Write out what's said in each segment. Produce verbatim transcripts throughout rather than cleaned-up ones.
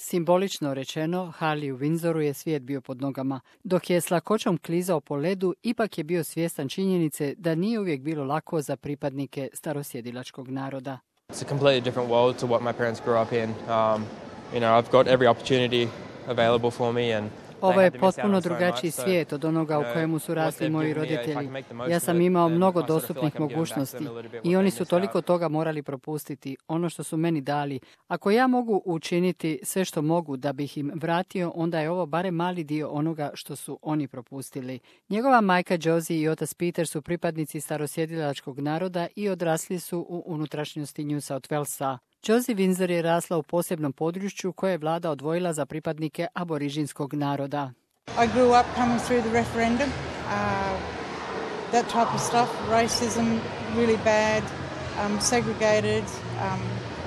Simbolično rečeno, Harley u Windsoru je svijet bio pod nogama. Dok je s lakoćom klizao po ledu, ipak je bio svjestan činjenice da nije uvijek bilo lako za pripadnike starosjedilačkog naroda. It's a completely different world to what my parents grew up in. Um, you know, I've got every opportunity available for me and Ovo je potpuno drugačiji svijet od onoga u kojemu su rasli moji roditelji. Ja sam imao mnogo dostupnih mogućnosti i oni su toliko toga morali propustiti, ono što su meni dali. Ako ja mogu učiniti sve što mogu da bih im vratio, onda je ovo barem mali dio onoga što su oni propustili. Njegova majka Josie i otac Peter su pripadnici starosjedilačkog naroda i odrasli su u unutrašnjosti New South Walesa. Josie Windsor je rasla u posebnom području koje je vlada odvojila za pripadnike aborižinskog naroda. I grew up coming through the referendum, uh, that type of stuff, racism, really bad, um, segregated, um,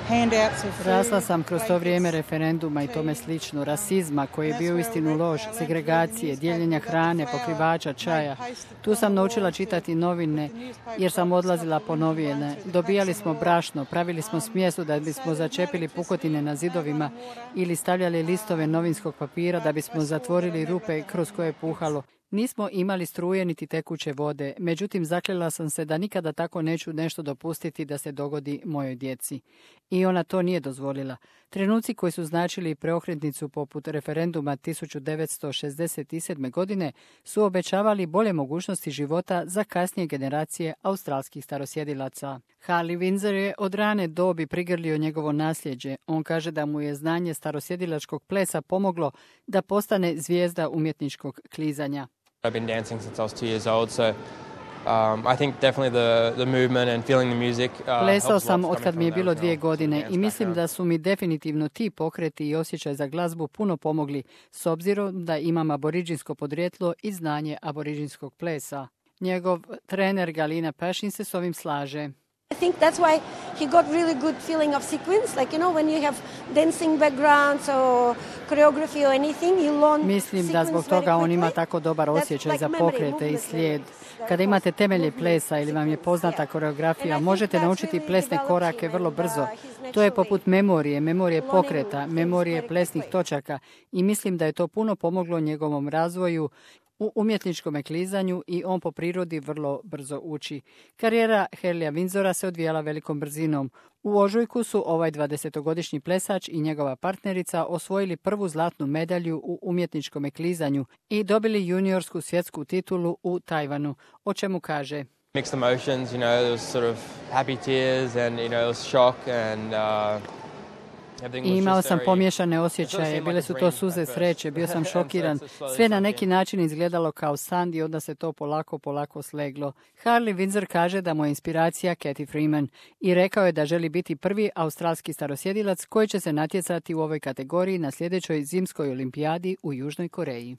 handouts of food. Rasla sam kroz to vrijeme referenduma i tome slično, rasizma koji je bio istinu loš, segregacije, dijeljenja hrane, pokrivača, čaja. Tu sam naučila čitati novine jer sam odlazila po novine. Dobijali smo brašno, pravili smo smjesu da bismo začepili pukotine na zidovima ili stavljali listove novinskog papira da bismo zatvorili rupe kroz koje je puhalo. Nismo imali struje niti tekuće vode, međutim zakljela sam se da nikada tako neću nešto dopustiti da se dogodi mojoj djeci. I ona to nije dozvolila. Trenuci koji su značili preokretnicu poput referenduma tisuću devetsto šezdeset sedme. godine su obećavali bolje mogućnosti života za kasnije generacije australskih starosjedilaca. Harley Windsor je od rane dobi prigrlio njegovo nasljeđe. On kaže da mu je znanje starosjedilačkog plesa pomoglo da postane zvijezda umjetničkog klizanja. I've been dancing since I was two years old, so um, I think definitely the the movement and feeling the music. Uh, Plesao sam od kad mi je bilo dvije godine i mislim da su mi definitivno ti pokreti i osjećaj za glazbu puno pomogli, s obzirom da imam aboriđinsko podrijetlo i znanje aboriđinskog plesa. Njegov trener Galina Pashin se s ovim slaže. I think that's why he got really good feeling of sequence, like, you know, when you have dancing backgrounds or choreography or anything, you learn. Mislim da zbog toga on ima tako dobar osjećaj za pokrete i slijed. Kada imate temelje plesa ili vam je poznata koreografija, možete naučiti plesne korake vrlo brzo. To je poput memorije, memorije pokreta, memorije plesnih točaka i mislim da je to puno pomoglo njegovom razvoju u umjetničkom klizanju i on po prirodi vrlo brzo uči. Karijera Harleya Windsora se odvijala velikom brzinom. U ožujku su ovaj dvadesetogodišnji plesač i njegova partnerica osvojili prvu zlatnu medalju u umjetničkom klizanju i dobili juniorsku svjetsku titulu u Tajvanu, o čemu kaže: Mixed emotions, you know, there was sort of happy tears and, you know, it was shock and uh, I imao sam pomiješane osjećaje, bile su to suze sreće, bio sam šokiran, sve na neki način izgledalo kao san i onda se to polako, polako sleglo. Harley Windsor kaže da mu je inspiracija Cathy Freeman i rekao je da želi biti prvi australski starosjedilac koji će se natjecati u ovoj kategoriji na sljedećoj zimskoj olimpijadi u Južnoj Koreji.